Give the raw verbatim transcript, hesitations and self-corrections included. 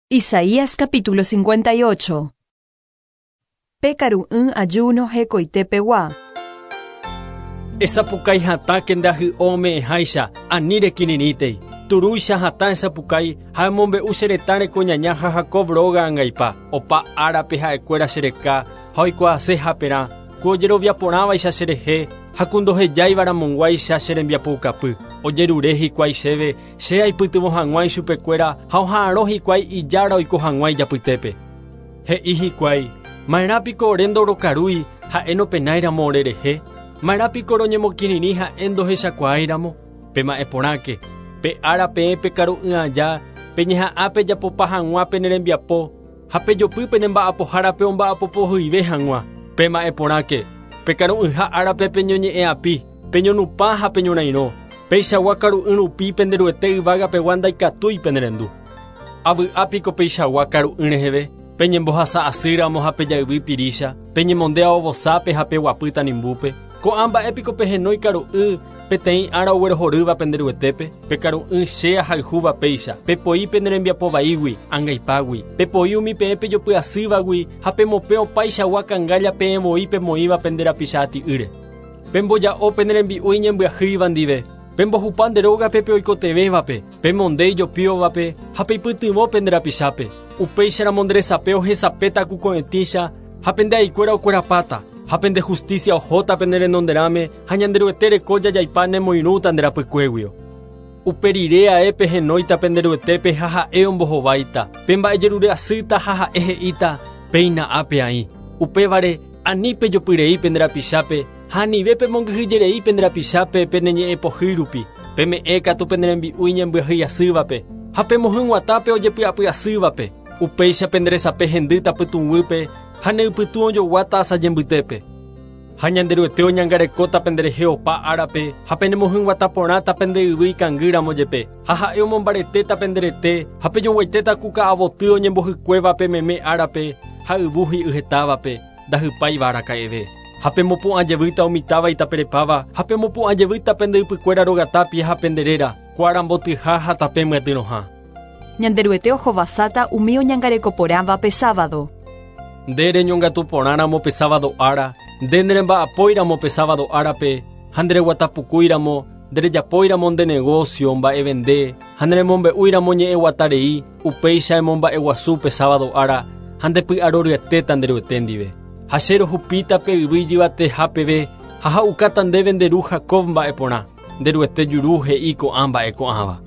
Isaías capítulo cincuenta y ocho. Pe karu'ỹ ayuno hekoitepegua. Esapukái hatãke nde ahy'o ome'ẽháicha ani rekirirĩtei. Turúicha hatã esapukái ha emombe'u che retã rekoñaña ha Jacob róga angaipa. Opa árape ha'ekuéra chereka ha oikuaase haperã. Ku ojeroviaporãvaicha cherehe ha ku ndohejáivaramog̃uáicha che rembiapoukapy. Ojerure hikuái chéve che aipytyvõ hag̃ua ichupekuéra ha oha'arõ hikuái ijára oiko hag̃ua ijapytépe. He'i hikuái, ma'erãpiko ore ndorokarúi ha'e nopenáiramo orerehe, ma'erãpiko roñemokirirĩ ha'e ndohechakuaáiramo. Pema'ẽporãke, pe ára peẽ pekaru'ỹ aja, peñeha'ã pejapopa hag̃ua pene rembiapo ha pejopy pene mba'apohárape omba'apopohyive hag̃ua. Pema'ẽporãke, pekaru'ỹha árape peñoñe'ẽapi, peñonupã ha peñorairõ. Peichagua karu'ỹ rupi penderuete yvágapegua ndaikatúi penerendu. Avy'ápiko peichagua karu'ỹ reheve, peñembohasa'asýramo ha pejayvy pirícha, peñemonde aovosápe ha peguapy tanimbúpe. Ko'ã mba'épiko pehenói karu'ỹ peteĩ ára oguerohorýva penderuetépe, pekaru'ỹ che ahayhúva péicha, pepoi pene rembiapovaígui, angaipágui, pepoi umi peẽ pejopy'asývagui ha pemopẽ opaichagua kangálla peẽvoi pemoĩva pende rapicha ati'ýre. Pemboja'o pene rembi'u iñembyahýiva ndive, pembohupa nde rógape pe oikotevẽvape, pemonde ijopióvape ha peipytyvõ pende rapichápe. Upéicharamo nde resape ohesapéta ku ko'ẽtĩcha ha pende aikuéra okuerapáta, ha pende justicia ohóta pene renonderãme ha Ñanderuete reko jajaipa nemoirũta nde rapykuéguio. Upe rire ae pehenóita penderuetépe ha ha'e ombohováita, pemba'ejerure'asýta ha ha'e he'íta péina ápe aĩ. Upévare ani pejopyrei pende rapichápe ha anive pemongyhyjerei pende rapichápe peneñe'ẽpohýi rupi, peme'ẽ katu pene rembi'u iñembyahýiasývape ha pemohyg̃uatápe ojepy'apy'asývape. Upéicha pende resape hendýta pytũguýpe ha neypytũ ojoguáta asajembytépe. Ha Ñanderuete oñangarekóta penderehe opa árape ha penemohyg̃uatãporãta pende yvy ikangýramo jepe ha ha'e omombaretéta penderete ha pejoguaitéta ku ka'avoty oñembohykuévape meme árape ha yvu hi'yhetávape ndahypáiva araka'eve. Ha pemopu'ãjevýta umi táva itaperepáva ha pemopu'ãjevýta pende ypykuéra rogatápia ha penderéra kuarambotyha ha tape myatyrõha. Ñanderuete ohovasáta umi oñangarekoporãva pe sábado. Nde reñongatuporãramo pe sábado ára, nde neremba'apóiramo pe sábado árape, ha ndereguatapukúiramo, nderejapóiramo nde negocio mba'evende, ha neremombe'úiramo ñe'ẽguatarei, upéicha emomba'eguasu pe sábado ára, ha ndepy'aroryetéta nderuete ndive. Ha che rohupíta pe yvy ijyvateha peve ha ha'ukáta ndéve nde ru Jacob mba'eporã. Nderuete juru he'i ko'ã mba'e ko'ãva.